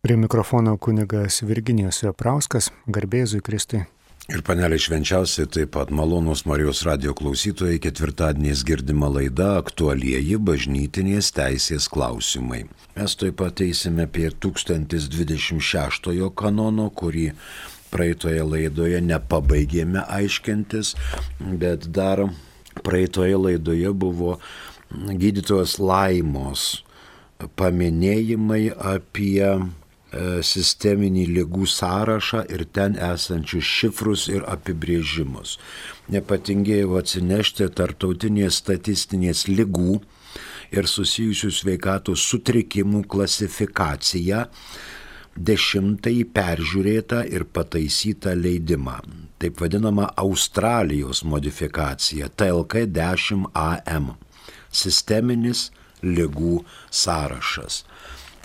Prie mikrofono kunigas Virginijus Veprauskas, garbė Jėzui Kristui. Ir panelė švenčiausiai taip pat malonūs Marijos radijo klausytojai, ketvirtadieniais girdima laida aktualieji bažnytinės teisės klausimai. Mes taip pat eisime prie 1026 kanono, kurį praeitoje laidoje nepabaigėme aiškintis, bet dar praeitoje laidoje buvo gydytojos Laimos paminėjimai apie sisteminį ligų sąrašą ir ten esančius šifrus ir apibrėžimus. Nepatingėjau atsinešti tarptautinės statistinės ligų ir susijusių sveikatos sutrikimų klasifikaciją, 10-ąjį peržiūrėtą ir pataisytą leidimą, taip vadinama Australijos modifikacija TLK 10AM, sisteminis ligų sąrašas.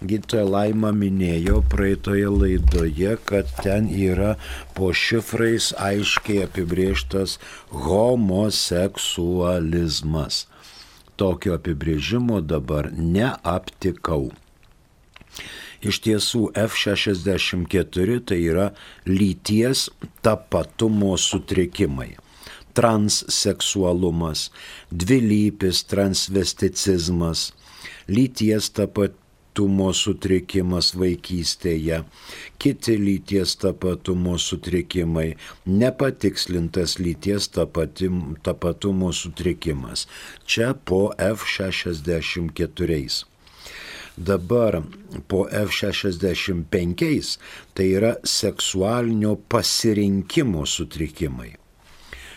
Gydytoja Laima minėjo praeitoje laidoje, kad ten yra po šifrais aiškiai apibrėžtas homoseksualizmas. Tokio apibrėžimo dabar neaptikau. Iš tiesų F64 tai yra lyties tapatumo sutrikimai. Transseksualumas, dvilypis transvesticizmas, lyties tapatumo sutrikimas vaikystėje, kiti lyties tapatumo sutrikimai, nepatikslintas lyties tapatumo sutrikimas. Čia po F64. Dabar po F65 tai yra seksualinio pasirinkimo sutrikimai.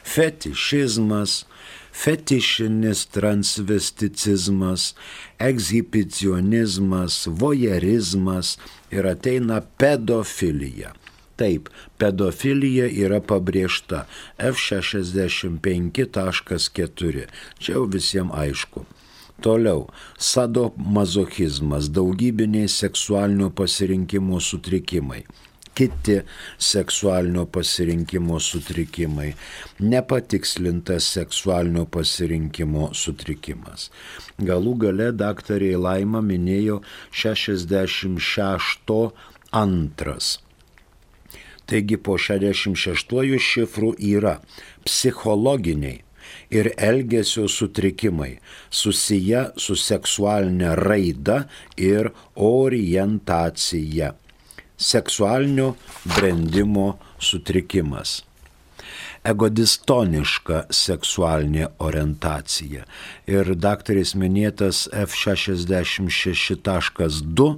Fetišizmas, fetišinis transvesticizmas, ekshibicionizmas, vojerizmas ir ateina pedofilija. Taip, pedofilija yra pabrėžta F65.4. Čia jau visiems aišku. Toliau, sadomazochizmas, daugybiniai seksualinio pasirinkimo sutrikimai. Kiti seksualinio pasirinkimo sutrikimai, nepatikslintas seksualinio pasirinkimo sutrikimas. Galų gale daktarė Laima minėjo 66.2. Taigi po 66 šifrų yra psichologiniai ir elgesio sutrikimai susiję su seksualinė raida ir orientacija. Seksualinio brendimo sutrikimas. Egodistoniška seksualinė orientacija. Ir daktarės minėtas F66.2,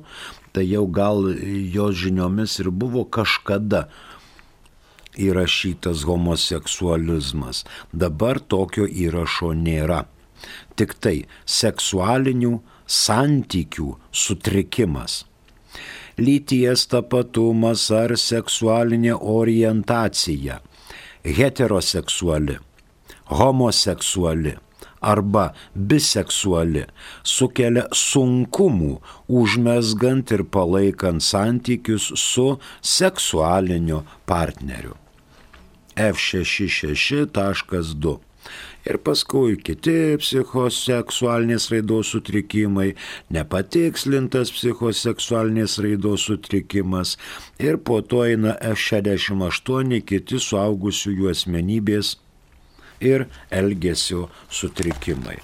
tai jau gal jos žiniomis ir buvo kažkada įrašytas homoseksualizmas. Dabar tokio įrašo nėra. Tik tai seksualinių santykių sutrikimas. Lyties tapatumas ar seksualinė orientacija, heteroseksuali, homoseksuali arba biseksuali sukelia sunkumų užmezgant ir palaikant santykius su seksualiniu partneriu. F66.2. Ir paskui kiti psichoseksualinės raidos sutrikimai, nepatikslintas psichoseksualinės raidos sutrikimas ir po to eina F68 kiti suaugusiųjų asmenybės ir elgesio sutrikimai.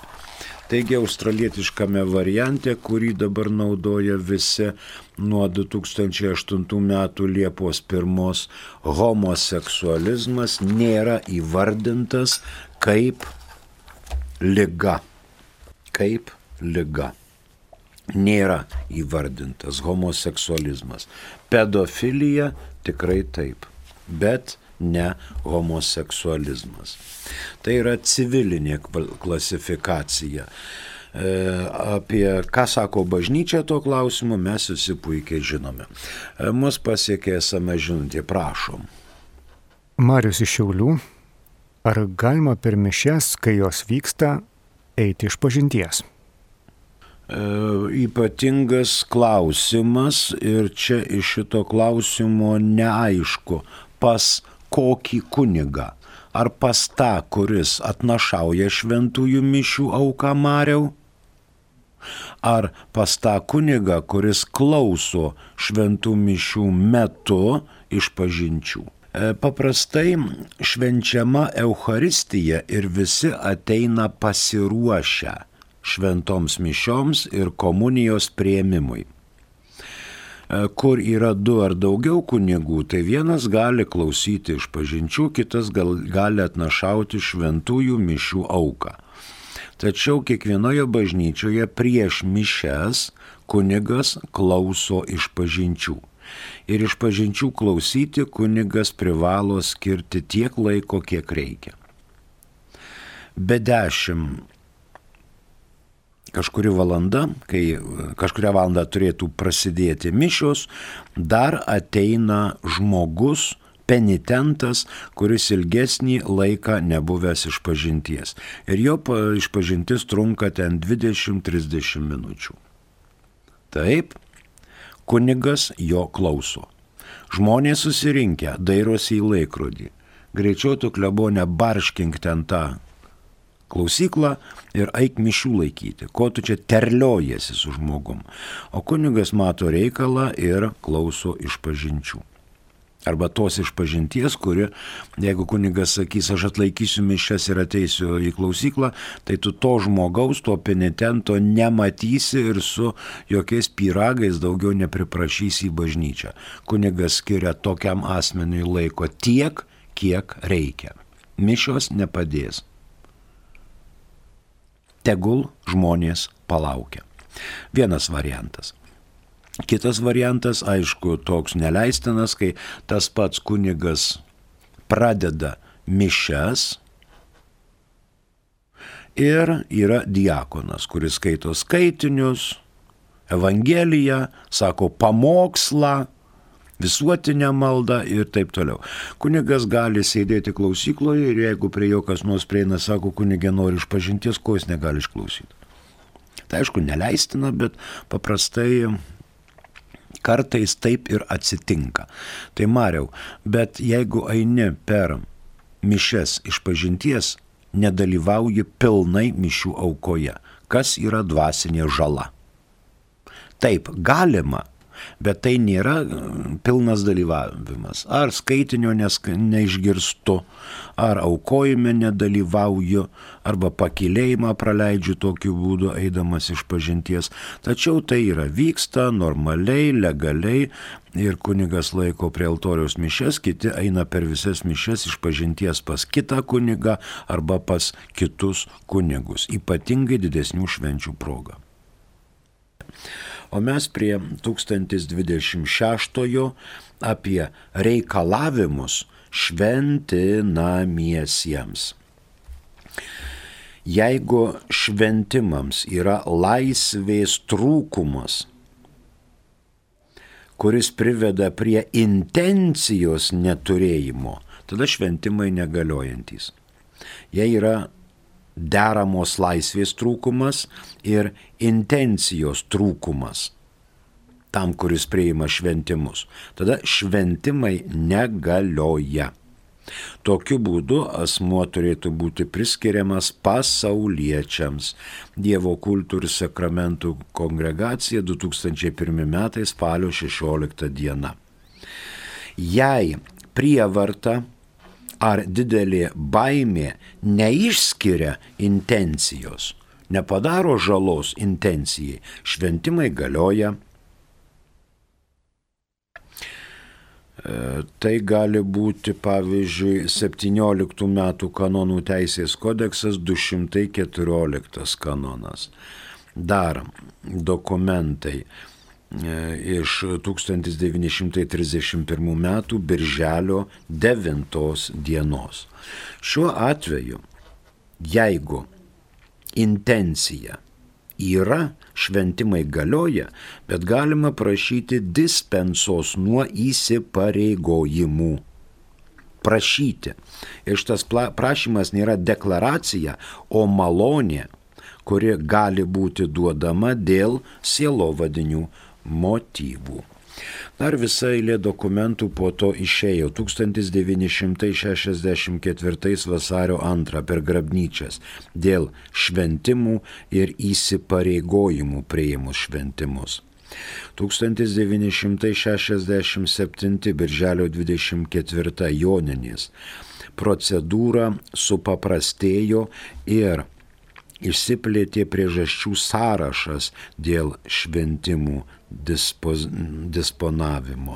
Taigi australietiškame variante, kurį dabar naudoja visi nuo 2008 metų Liepos 1, homoseksualizmas nėra įvardintas kaip liga. Kaip liga. Nėra įvardintas homoseksualizmas. Pedofilija tikrai taip, bet ne homoseksualizmas. Tai yra civilinė klasifikacija. Apie ką sako bažnyčia tuo klausimu mes visi puikiai žinome. Mus pasiekė esame žinutė, prašom. Marius iš Šiaulių. Ar galima per mišias, kai jos vyksta, eiti išpažinties? Ypatingas klausimas ir čia iš šito klausimo neaišku, pas kokį kunigą. Ar pas tą, kuris atnašauja šventųjų mišių auką Mariau? ar pas tą kunigą, kuris klauso šventų mišių metu išpažinčių. Paprastai švenčiama Eucharistija ir visi ateina pasiruošę šventoms mišioms ir komunijos priėmimui. Kur yra 2 ar daugiau kunigų, tai vienas gali klausyti išpažinčių, kitas gali atnašauti šventųjų mišių auką. Tačiau kiekvienoje bažnyčioje prieš mišias kunigas klauso išpažinčių. Ir išpažinčių klausyti kunigas privalo skirti tiek laiko, kiek reikia. Be 10 kažkuri valanda, kai kažkuria valanda turėtų prasidėti mišios, dar ateina žmogus, penitentas, kuris ilgesnį laiką nebuvęs išpažinties. Ir jo išpažintis trunka ten 20-30 minučių. Taip, kunigas jo klauso. Žmonės susirinkę, dairosi į laikrodį. Greičiau tu, klebone, barškink ten tą klausyklą ir eik mišių laikyti, ko tu čia terliojasi su žmogum. O kunigas mato reikalą ir klauso išpažinčių. Arba tos išpažinties, kuri, jeigu kunigas sakys, aš atlaikysiu mišias ir ateisiu į klausyklą, tai tu to žmogaus, to penitento nematysi ir su jokiais pyragais daugiau nepriprašysi į bažnyčią. Kunigas skiria tokiam asmeniui laiko tiek, kiek reikia. Mišios nepadės. Tegul žmonės palaukia. Vienas variantas. Kitas variantas, aišku, toks neleistinas, kai tas pats kunigas pradeda mišias ir yra diakonas, kuris skaito skaitinius, evangeliją, sako pamokslą, visuotinę maldą ir taip toliau. Kunigas gali sėdėti klausykloje ir jeigu prie jo kas nors prieina, sako, kunigė nori išpažinties, ko jis negali išklausyti. Tai aišku, neleistina, bet paprastai kartais taip ir atsitinka. Tai Mariau, bet jeigu eini per mišias išpažinties, nedalyvauji pilnai mišių aukoje. Kas yra dvasinė žala? Taip, galima, bet tai nėra pilnas dalyvavimas. Ar skaitinio neišgirstu, ar aukojime nedalyvauju, arba pakylėjimą praleidžiu tokiu būdu, eidamas išpažinties. Tačiau tai vyksta normaliai, legaliai ir kunigas laiko prie altoriaus mišias, kiti eina per visas mišias išpažinties pas kitą kunigą arba pas kitus kunigus, ypatingai didesnių švenčių proga. O mes prie 1026 apie reikalavimus šventinamiesiems. Jeigu šventimams yra laisvės trūkumas, kuris priveda prie intencijos neturėjimo, tada šventimai negaliojantys. Jei yra deramos laisvės trūkumas ir intencijos trūkumas tam, kuris priima šventimus, tada šventimai negalioja. Tokiu būdu asmuo turėtų būti priskiriamas pasauliečiams. Dievo kultų ir sakramentų kongregacija 2001 metais spalio 16 diena. Jei prievarta ar didelė baimė neišskiria intencijos, nepadaro žalos intencijai, šventimai galioja. Tai gali būti, pavyzdžiui, 17 metų kanonų teisės kodeksas 214 kanonas. Dar dokumentai iš 1931 metų birželio 9 dienos. Šiuo atveju, jeigu intencija yra, šventimai galioja, bet galima prašyti dispensos nuo įsipareigojimų. Prašyti. Ir šitas prašymas nėra deklaracija, o malonė, kuri gali būti duodama dėl sielovadinių motyvų. Dar visa eilė dokumentų po to išėjo. 1964 vasario 2 per grabnyčias dėl šventimų ir įsipareigojimų priėmus šventimus. 1967 birželio 24 Joninės procedūra supaprastėjo ir išsiplėtė priežasčių sąrašas dėl šventimų disponavimo.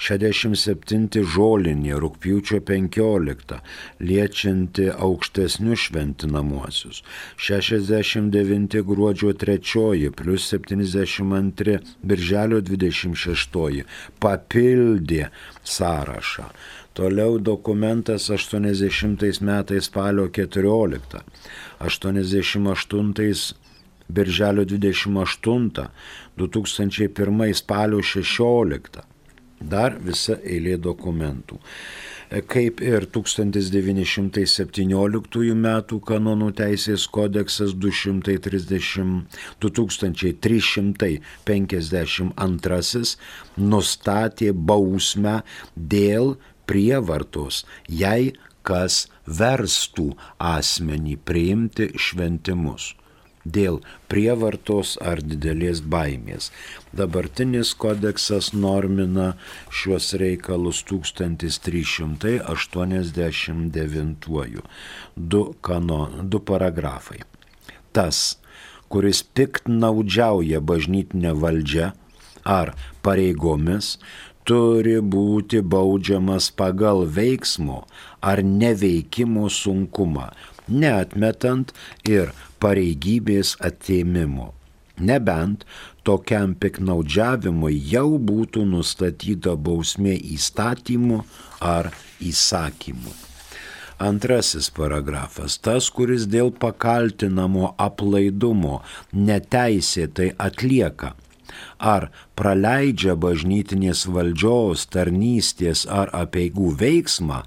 67 žolinė rugpjūčio 15 liečianti aukštesnius šventinamuosius. 69 gruodžio 3 plus 72 birželio 26 papildė sąrašą. Toliau dokumentas 80 metais spalio 14, 88 birželio 28, 2001 spalio 16. Dar visa eilė dokumentų. Kaip ir 1917 metų kanonų teisės kodeksas 2352 nustatė bausmę dėl prievartos, jei kas verstų asmenį priimti šventimus. Dėl prievartos ar didelės baimės. Dabartinis kodeksas normina šiuos reikalus 1389. Du paragrafai. Tas, kuris piktnaudžiauja bažnytinę valdžią ar pareigomis, turi būti baudžiamas pagal veiksmo ar neveikimo sunkumą, neatmetant ir pareigybės atėmimo, nebent tokiam piktnaudžiavimui jau būtų nustatyta bausmė įstatymu ar įsakymu. Antrasis paragrafas. Tas, kuris dėl pakaltinamo aplaidumo neteisėtai atlieka ar praleidžia bažnytinės valdžios, tarnystės ar apeigų veiksmą,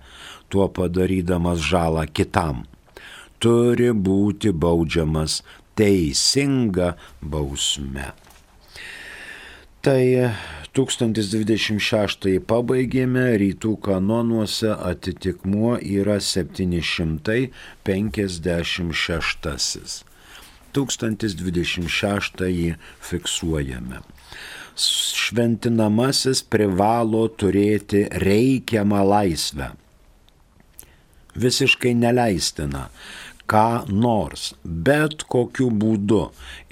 tuo padarydamas žalą kitam, turi būti baudžiamas teisinga bausme. Tai 1026 pabaigėme, rytų kanonuose atitikmuo yra 756. 1026 fiksuojame. Šventinamasis privalo turėti reikiamą laisvę. Visiškai neleistina ką nors, bet kokiu būdu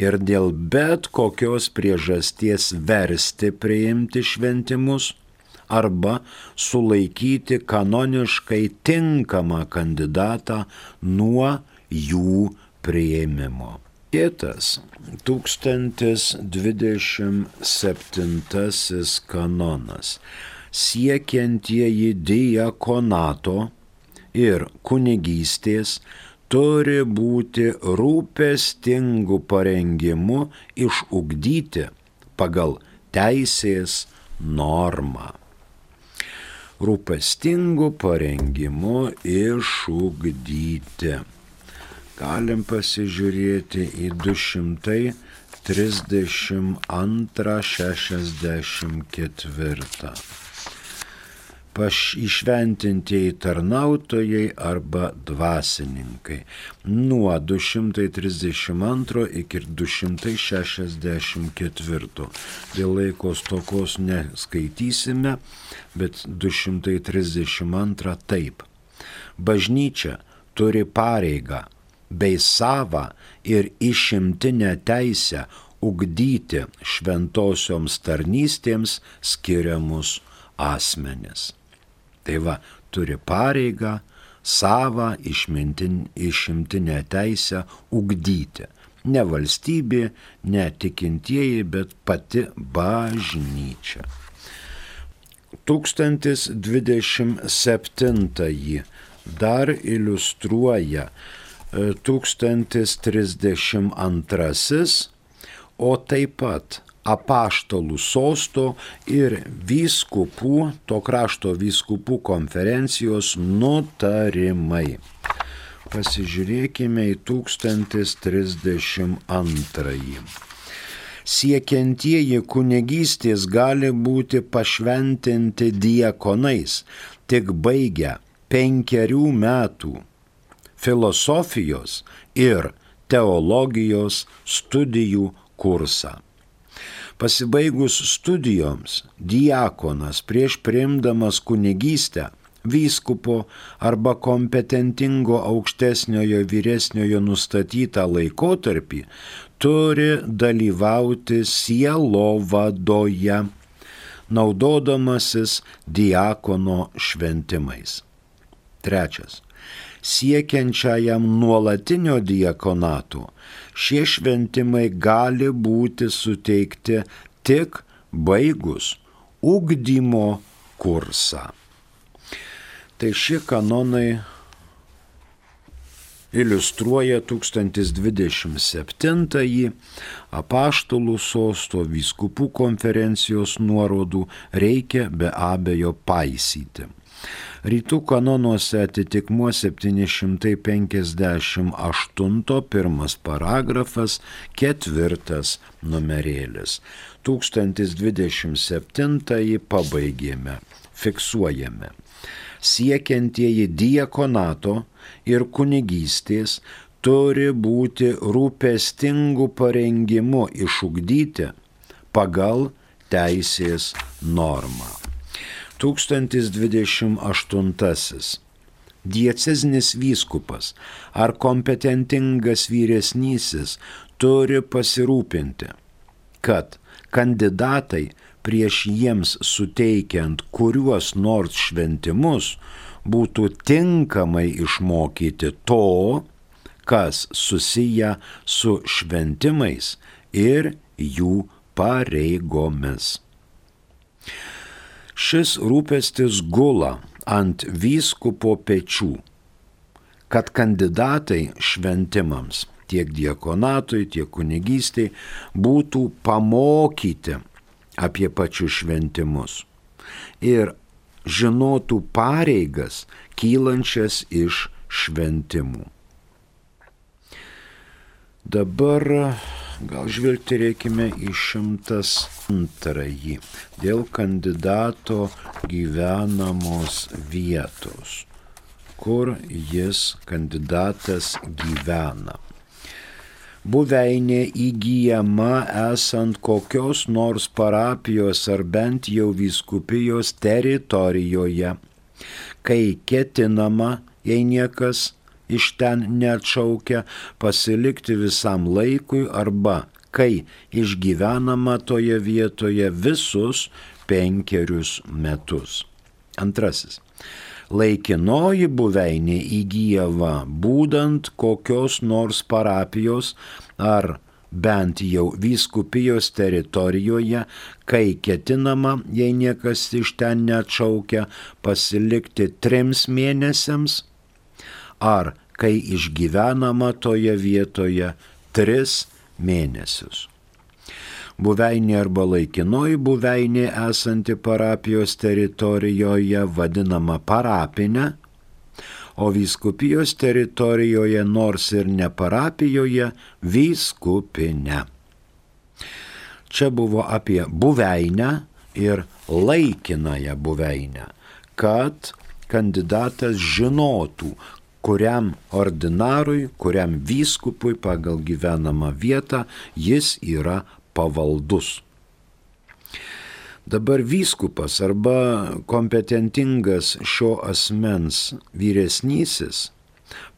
ir dėl bet kokios priežasties versti priimti šventimus arba sulaikyti kanoniškai tinkamą kandidatą nuo jų priėmimo. Kitas 1027 kanonas. Siekiantieji diakonato ir kunigystės turi būti rūpestingų parengimu išugdyti pagal teisės normą. Rūpestingų parengimų išugdyti. Galim pasižiūrėti į 232-64. Išventintieji tarnautojai arba dvasininkai. Nuo 232 iki 264. Dėl laiko stokos neskaitysime, bet 232 taip. Bažnyčia turi pareigą bei savą ir išimtinę teisę ugdyti šventosioms tarnystėms skiriamus asmenis. Tai va, turi pareigą, savą išimtinę teisę ugdyti. Ne valstybė, ne tikintieji, bet pati bažnyčia. 1027 dar iliustruoja 1032, o taip pat apaštalų sosto ir vyskupų, to krašto vyskupų konferencijos nutarimai. Pasižiūrėkime į 1032. Siekiantieji kunigystės gali būti pašventinti diakonais, tik baigę 5 metų filosofijos ir teologijos studijų kursą. Pasibaigus studijoms, diakonas prieš priimdamas kunigystę vyskupo arba kompetentingo aukštesniojo vyresniojo nustatytą laikotarpį turi dalyvauti sielovadoje, naudodamasis diakono šventimais. 3. Siekiančiajam nuolatinio diakonato šie šventimai gali būti suteikti tik baigus ugdymo kursą. Tai šie kanonai iliustruoja 1027 apaštalų sosto vyskupų konferencijos nuorodų reikia be abejo paisyti. Rytų kanonuose atitikmuo 758 pirmas paragrafas 4 numerėlis. 1027 pabaigėme, fiksuojame. Siekiantieji diakonato ir kunigystės turi būti rūpestingų parengimu išugdyti pagal teisės normą. 1028. Diecezinis vyskupas ar kompetentingas vyresnysis turi pasirūpinti, kad kandidatai prieš jiems suteikiant kuriuos nors šventimus būtų tinkamai išmokyti to, kas susiję su šventimais ir jų pareigomis. Šis rūpestis gula ant vyskupo pečių, kad kandidatai šventimams, tiek diakonatui, tiek kunigystei, būtų pamokyti apie pačius šventimus ir žinotų pareigas kylančias iš šventimų. Dabar gal žvilgterėkime į 102 dėl kandidato gyvenamos vietos, kur jis kandidatas gyvena. Buveinė įgyjama esant kokios nors parapijos ar bent jau vyskupijos teritorijoje, kai ketinama, jei niekas iš ten neatšaukia, pasilikti visam laikui arba kai išgyvenama toje vietoje visus 5 metus. 2. Laikinoji buveinė įgyjama būdant kokios nors parapijos ar bent jau vyskupijos teritorijoje, kai ketinama, jei niekas iš ten neatšaukia, pasilikti 3 mėnesiams, ar kai išgyvenama toje vietoje 3 mėnesius. Buveinė arba laikinoji buveinė esanti parapijos teritorijoje vadinama parapinė, o vyskupijos teritorijoje nors ir ne parapijoje vyskupinė. Čia buvo apie buveinę ir laikinąją buveinę, kad kandidatas žinotų, kuriam ordinarui, kuriam vyskupui pagal gyvenamą vietą jis yra pavaldus. Dabar vyskupas arba kompetentingas šio asmens vyresnysis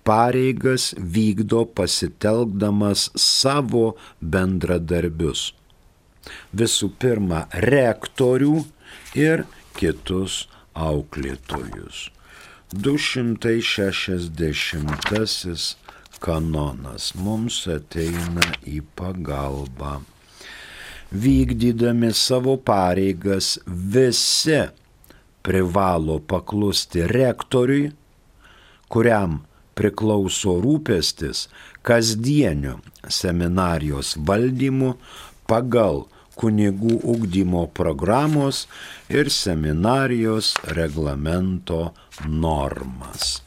pareigas vykdo pasitelkdamas savo bendradarbius. Visų pirma, rektorių ir kitus auklėtojus. 260 kanonas mums ateina į pagalbą. Vykdydami savo pareigas visi privalo paklusti rektoriui, kuriam priklauso rūpestis kasdieniu seminarijos valdymu pagal kunigų ugdymo programos ir seminarijos reglamento normas.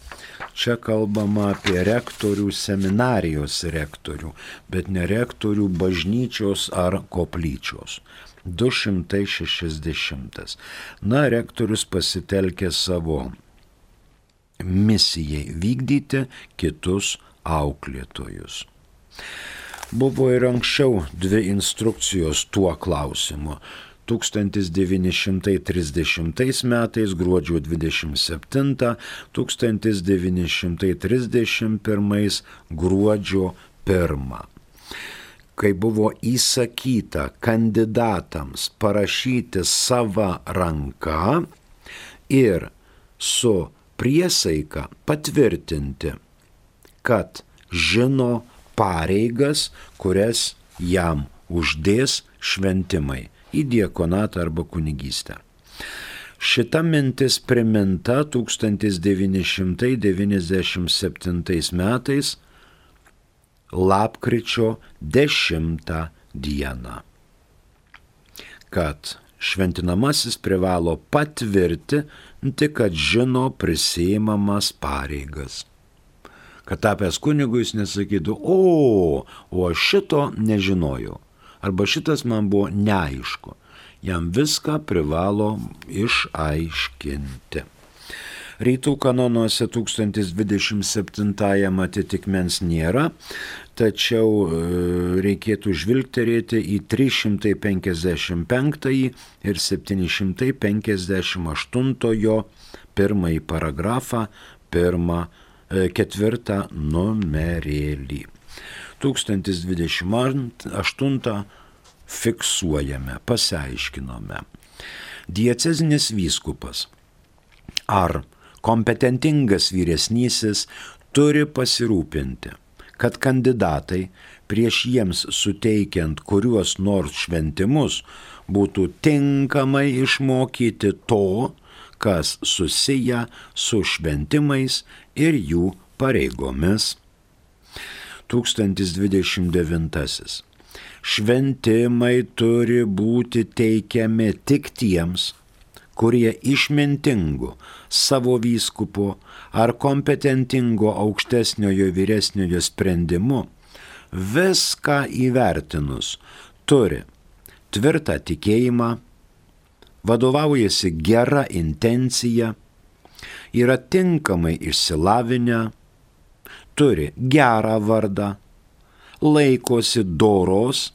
Čia kalbama apie rektorių, seminarijos rektorių, bet ne rektorių bažnyčios ar koplyčios. 260. Na, rektorius pasitelkė savo misijai vykdyti kitus auklėtojus. Buvo ir anksčiau 2 instrukcijos tuo klausimu. 1930 metais gruodžio 27, 1931 gruodžio 1. Kai buvo įsakyta kandidatams parašyti sava ranka ir su priesaika patvirtinti, kad žino pareigas, kurias jam uždės šventimai į diakonatą arba kunigystę. Šita mintis priminta 1997 metais lapkričio 10 dieną, kad šventinamasis privalo patvirtinti, kad žino prisiimamas pareigas. Kad tapęs kunigu jis nesakytų, o aš šito nežinojau, arba šitas man buvo neaišku. Jam viską privalo išaiškinti. Rytų kanonuose 1027 atitikmens nėra, tačiau reikėtų žvilgterėti į 355 ir 758 pirmąjį paragrafą, 4 numerėlį. 1028 fiksuojame, pasiaiškinome. Diecezinis vyskupas ar kompetentingas vyresnysis turi pasirūpinti, kad kandidatai prieš jiems suteikiant kuriuos nors šventimus būtų tinkamai išmokyti to, kas susiję su šventimais ir jų pareigomis. 1029. Šventimai turi būti teikiami tik tiems, kurie išmintingu savo vyskupo ar kompetentingo aukštesniojo vyresniojo sprendimu viską įvertinus turi tvirtą tikėjimą, vadovaujasi gera intencija, yra tinkamai išsilavinę, turi gerą vardą, laikosi doros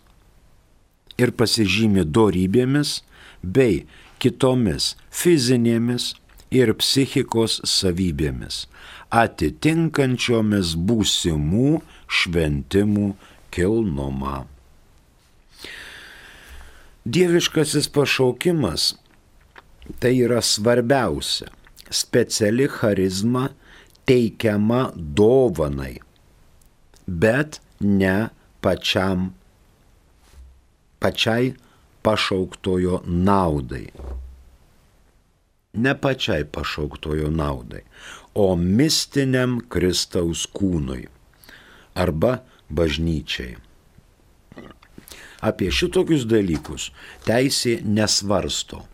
ir pasižymi dorybėmis bei kitomis fizinėmis ir psichikos savybėmis, atitinkančiomis būsimų šventimų kilnumą. Dieviškasis pašaukimas tai yra svarbiausia, speciali charizma teikiama dovanai, bet ne pačiai pašauktojo naudai. Ne pačiai pašauktojo naudai, o mistiniam Kristaus kūnui arba bažnyčiai. Apie šitokius dalykus teisė nesvarsto.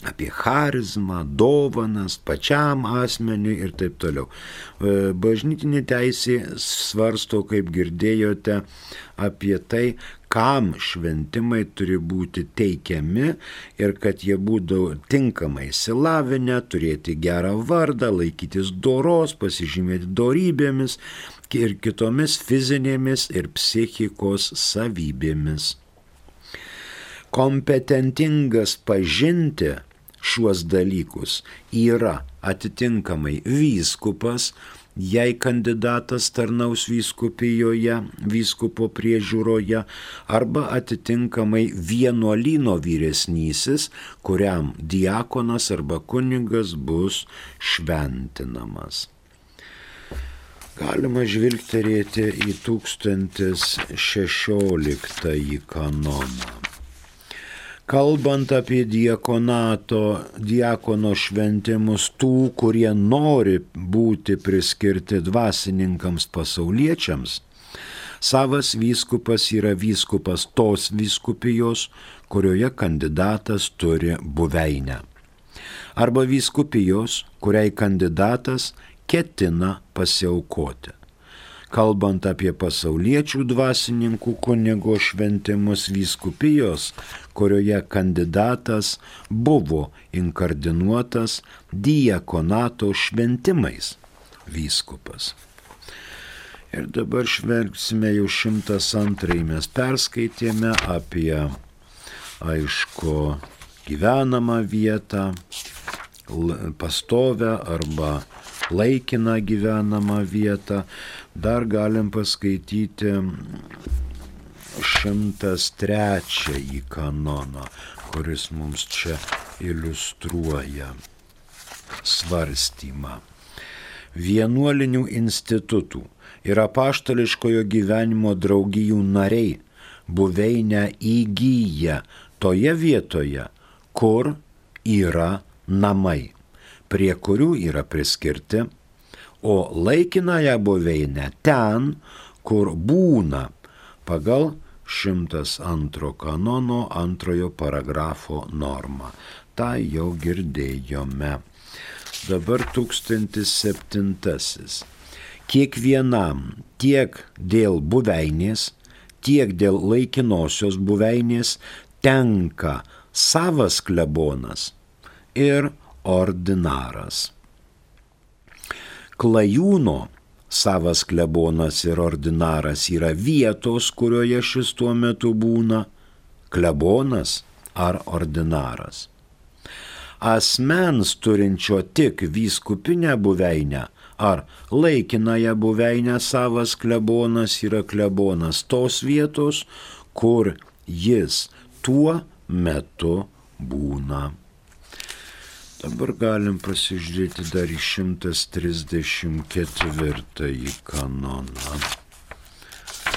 Apie charizmą, dovanas, pačiam asmeniui ir taip toliau. Bažnytinė teisė svarsto, kaip girdėjote, apie tai, kam šventimai turi būti teikiami ir kad jie būtų tinkamai išsilavinę, turėti gerą vardą, laikytis doros, pasižymėti dorybėmis ir kitomis fizinėmis ir psichikos savybėmis. Kompetentingas pažinti šiuos dalykus yra atitinkamai vyskupas, jei kandidatas tarnaus vyskupijoje, vyskupo priežiūroje, arba atitinkamai vienuolyno vyresnysis, kuriam diakonas arba kunigas bus šventinamas. Galima žvilgterėti į 1016 kanoną. Kalbant apie diakono šventimus tų, kurie nori būti priskirti dvasininkams pasauliečiams, savas vyskupas yra vyskupas tos vyskupijos, kurioje kandidatas turi buveinę. Arba vyskupijos, kuriai kandidatas ketina pasiaukoti. Kalbant apie pasauliečių dvasininkų kunigo šventimus, vyskupijos, kurioje kandidatas buvo inkardinuotas diakonato šventimais vyskupas. Ir dabar žvelgsime jau 102, mes perskaitėme apie, aišku, gyvenamą vietą, pastovę arba laikiną gyvenamą vietą. Dar galim paskaityti 103 kanoną, kuris mums čia iliustruoja svarstymą. Vienuolinių institutų ir apaštališkojo gyvenimo draugijų nariai buveinę įgyja toje vietoje, kur yra namai, prie kurių yra priskirti, o laikinąją buveinę ten, kur būna, pagal 102 kanono 2 paragrafo normą. Ta jau girdėjome. Dabar 1007. Kiekvienam tiek dėl buveinės, tiek dėl laikinosios buveinės tenka savas klebonas ir ordinaras. Klajūno savas klebonas ir ordinaras yra vietos, kurioje šis tuo metu būna, klebonas ar ordinaras. Asmens turinčio tik vyskupinę buveinę ar laikinąją buveinę savas klebonas yra klebonas tos vietos, kur jis tuo metu būna. Dabar galim pasižiūrėti dar į 134 kanoną.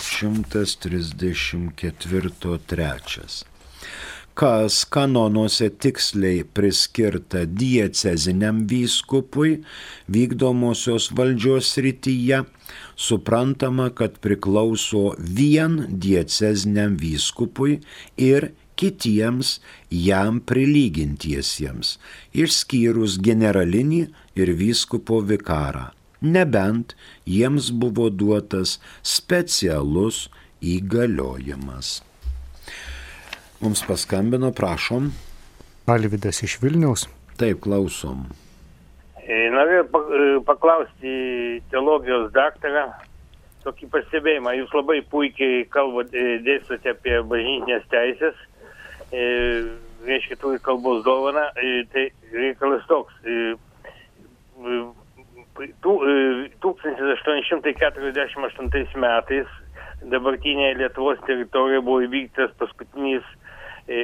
134.3. Kas kanonuose tiksliai priskirta dieceziniam vyskupui vykdomosios valdžios srityje, suprantama, kad priklauso vien dieceziniam vyskupui ir kitiems jam prilygintiesiems, išskyrus generalinį ir vyskupo vikarą, nebent jiems buvo duotas specialus įgaliojimas. Mums paskambino, prašom. Alvydas iš Vilniaus. Taip, klausom. Norėjau paklausti teologijos daktarą tokį pastebėjimą. Jūs labai puikiai dėstote apie bažnytinės teisės, reiškia, turi kalbos dovaną, tai reikalas toks. 1848 metais dabartinėje Lietuvos teritorijoje buvo įvykdytas paskutinis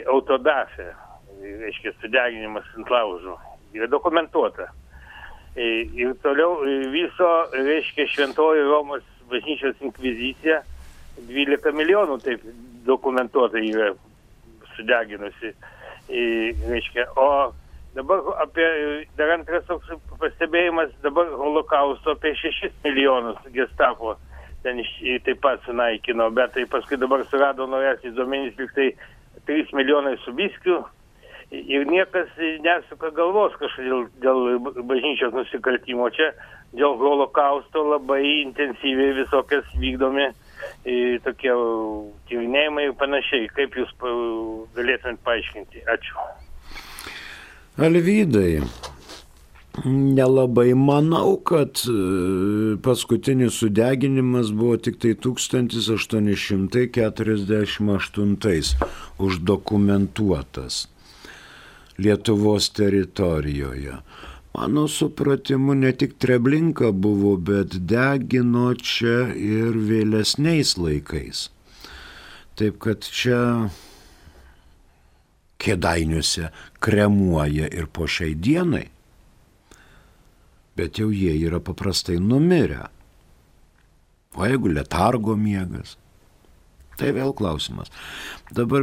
autodafė, reiškia, sudeginimas ant laužų. Yra dokumentuota. Ir toliau viso, reiškia, Šventoji Romos bažnyčios inkvizicija 12 milijonų taip dokumentuota yra sudeginusi. Reiškia, o dabar dar antras toks pastebėjimas, dabar holokausto apie 6 milijonus gestapo ten taip pat sunaikino, bet tai paskui dabar surado naujasis duomenys, lyg tai 3 milijonai su biskiu ir niekas nesuka galvos kažkodėl dėl bažnyčios nusikaltimo. Čia dėl holokausto labai intensyviai visokias vykdomi tokie tyrinėjimai ir panašiai. Kaip jūs galėtumėt paaiškinti? Ačiū. Alvydai, nelabai manau, kad paskutinis sudeginimas buvo tik tai 1848 uždokumentuotas Lietuvos teritorijoje. Mano supratimu, ne tik Treblinka buvo, bet degino čia ir vėlesniais laikais. Taip kad čia Kėdainiuose kremuoja ir po šiai dienai. Bet jau jie yra paprastai numirę. O jeigu letargo miegas? Tai vėl klausimas. Dabar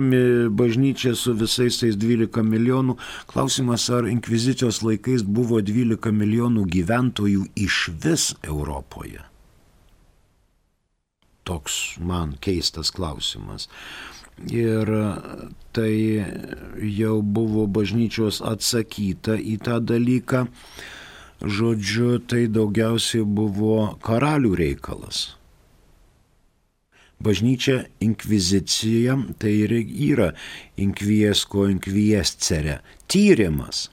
bažnyčia su visais tais 12 milijonų. Klausimas, ar inkvizicijos laikais buvo 12 milijonų gyventojų iš vis Europoje? Toks man keistas klausimas. Ir tai jau buvo bažnyčios atsakyta į tą dalyką. žodžiu, tai daugiausiai buvo karalių reikalas. Bažnyčia inkvizicija, tai ir yra inkviesko inkviescere, tyrimas.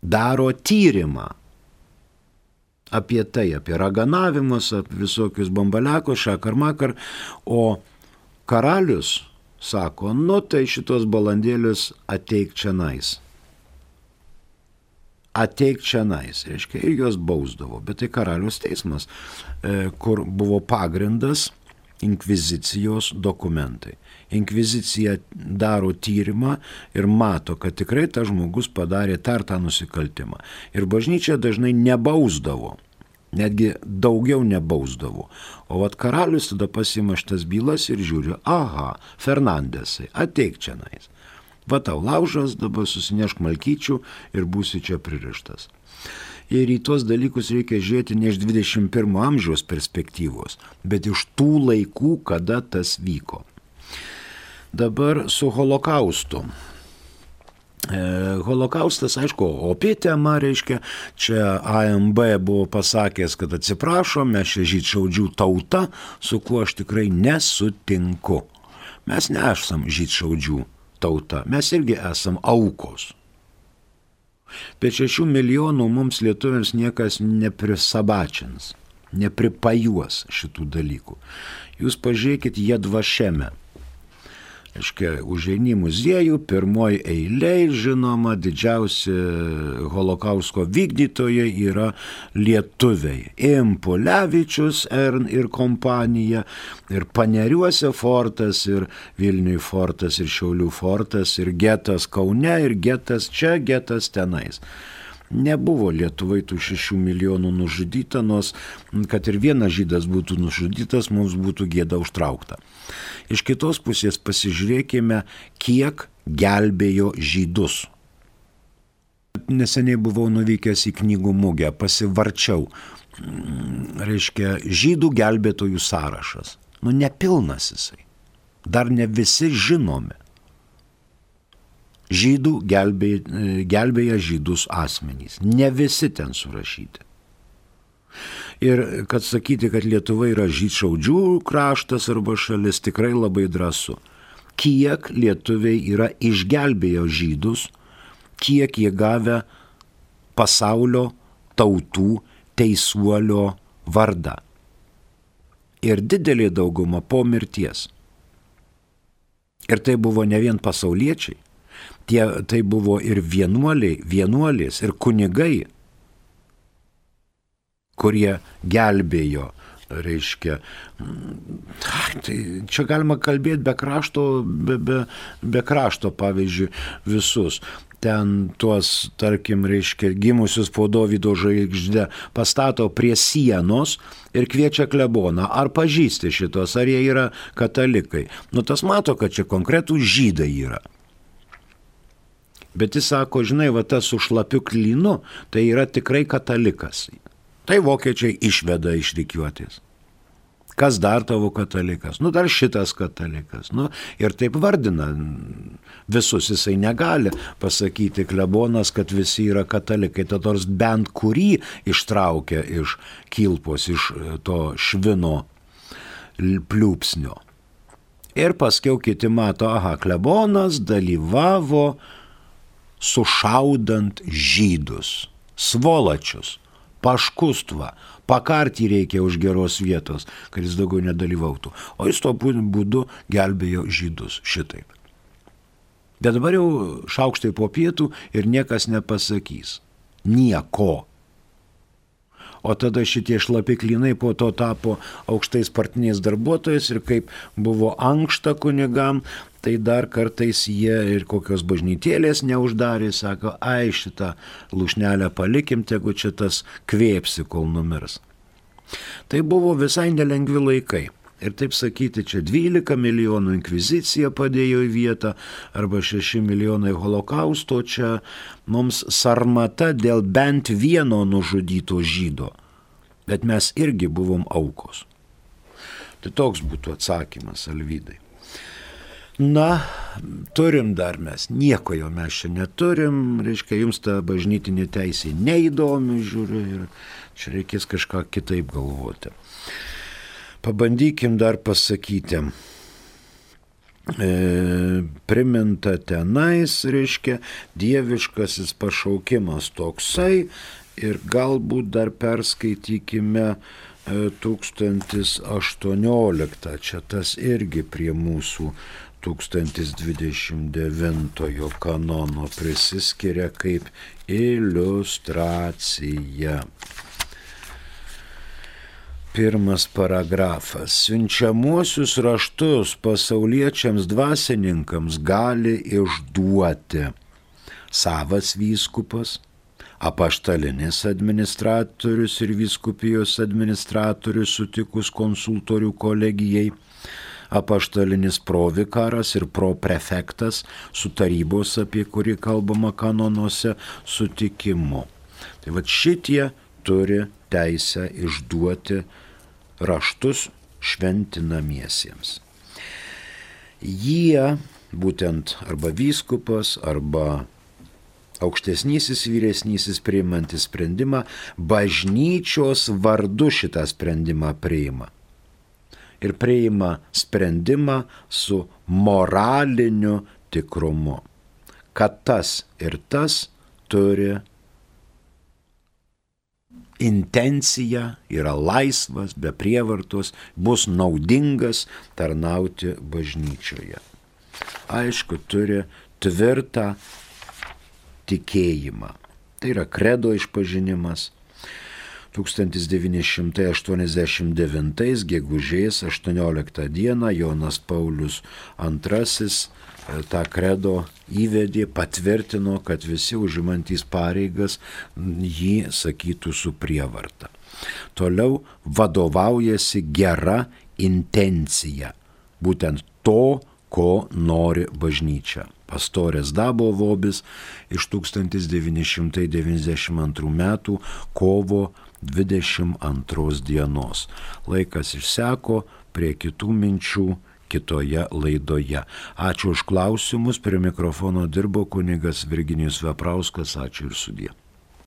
Daro tyrimą apie tai, apie raganavimus, apie visokius bambaliakus, šakar-makar, o karalius sako, nu tai šitos balandėlius ateik čionais. Ateik čionais, reiškia, ir jos bausdavo, bet tai karalius teismas, kur buvo pagrindas inkvizicijos dokumentai. Inkvizicija daro tyrimą ir mato, kad tikrai tas žmogus padarė tą nusikaltimą. Ir bažnyčia dažnai nebausdavo, netgi daugiau nebausdavo. O vat karalius tada pasima šitas bylas ir žiūri, aha, Fernandesai, ateik čionais. Va tau laužas, dabar susinešk malkyčių ir būsi čia pririštas. Ir į tuos dalykus reikia žiūrėti ne iš 21 amžiaus perspektyvos, bet iš tų laikų, kada tas vyko. Dabar su holokaustu. Holokaustas, aišku, opi tema, reiškia, čia AMB buvo pasakęs, kad atsiprašo, mes čia žydšaudžių tauta, su kuo aš tikrai nesutinku. Mes nesam žydšaudžių tauta, mes irgi esam aukos. Bet 6 milijonų mums lietuviams niekas neprisabačins, nepripajuos šitų dalykų. Jūs pažiūrėkit Jedvašeme. Aiškia, užeini į muziejų, pirmoji eilė, žinoma, didžiausi holokausto vykdytojai yra lietuviai. Impulevičius ir kompanija, ir Paneriuose fortas, ir Vilniui fortas, ir Šiaulių fortas, ir getas Kaune, ir getas čia, getas tenais. Nebuvo Lietuvai tų 6 milijonų nužudyta, nors kad ir vienas žydas būtų nužudytas, mums būtų gėda užtraukta. Iš kitos pusės pasižiūrėkime, kiek gelbėjo žydus. Neseniai buvau nuvykęs į knygų mugę, pasivarčiau, reiškia, žydų gelbėtojų sąrašas. Nu, nepilnas jisai. Dar ne visi žinomi. Žydų gelbėja žydus asmenys. Ne visi ten surašyti. Ir kad sakyti, kad Lietuva yra žydšaudžių kraštas arba šalis, tikrai labai drąsu. Kiek lietuviai yra išgelbėjo žydus, kiek jie gavę pasaulio tautų teisuolio vardą. Ir didelė dauguma po mirties. Ir tai buvo ne vien pasauliečiai. Tai buvo ir vienuolės, ir kunigai, kurie gelbėjo, reiškia. Tai čia galima kalbėti be krašto, pavyzdžiui, visus. Ten tuos, tarkim, reiškia, gimusius po Dovydo žvaigžde pastato prie sienos ir kviečia kleboną. Ar pažįsti šitos, ar jie yra katalikai? Nu, tas mato, kad čia konkretų žydai yra. Bet jis sako, žinai, va tas su šlapiu klynu, tai yra tikrai katalikas. Tai vokiečiai išveda iš rikiuotės. Kas dar tavo katalikas? Nu, dar šitas katalikas. Nu, ir taip vardina visus, jisai negali pasakyti klebonas, kad visi yra katalikai. Tad nors bent kurį ištraukia iš kilpos, iš to švino pliūpsnio. Ir paskiau kiti mato, aha, klebonas dalyvavo sušaudant žydus, svolačius, paškustvą, pakartį reikia už geros vietos, kad jis daugiau nedalyvautų. O jis tuo būdu gelbėjo žydus šitaip. Bet dabar jau šaukštai po pietų ir niekas nepasakys. Nieko. O tada šitie šlapi klynai po to tapo aukštais partiniais darbuotojais ir kaip buvo ankšta kunigam, tai dar kartais jie ir kokios bažnytėlės neuždarė, sako, ai šitą lūšnelę palikim, tegu čia tas kvėpsi, kol numirs. Tai buvo visai nelengvi laikai. Ir taip sakyti, čia 12 milijonų inkvizicija padėjo į vietą, arba 6 milijonai holokausto, čia mums sarmata dėl bent vieno nužudyto žydo. Bet mes irgi buvom aukos. Tai toks būtų atsakymas, Alvydai. Na, turim dar mes, nieko jau mes čia neturim, reiškia, jums ta bažnytinė teisė neįdomi, žiūriu, ir čia reikės kažką kitaip galvoti. Pabandykim dar pasakyti. Priminta tenais, reiškia, dieviškasis pašaukimas toksai ir galbūt dar perskaitykime 1018, čia tas irgi prie mūsų 1029 kanono prisiskiria kaip iliustracija. Pirmas paragrafas. Siunčiamuosius raštus pasauliečiams dvasininkams gali išduoti savas vyskupas, apaštalinis administratorius ir vyskupijos administratorius sutikus konsultorių kolegijai, apaštalinis provikaras ir proprefektas su tarybos, apie kurį kalbama kanonuose, sutikimu. Tai va šitie turi teisę išduoti raštus šventinamiesiems. Jie, būtent arba vyskupas, arba aukštesnysis, vyresnysis priimantis sprendimą, bažnyčios vardu šitą sprendimą priima. Ir priima sprendimą su moraliniu tikrumu, kad tas ir tas turi intenciją, yra laisvas, be prievartos, bus naudingas tarnauti bažnyčioje. Aišku, turi tvirtą tikėjimą. Tai yra kredo išpažinimas. 1989 gegužės 18 dieną Jonas Paulius II tą kredo įvedė, patvirtino, kad visi užimantys pareigas jį sakytų su prievarta. Toliau vadovaujasi gera intencija, būtent to, ko nori bažnyčia. Pastorės Dabo Vobis iš 1992 metų kovo 22 dienos. Laikas išseko, prie kitų minčių kitoje laidoje. Ačiū už klausimus, prie mikrofono dirbo kunigas Virginijus Veprauskas, ačiū ir sudie.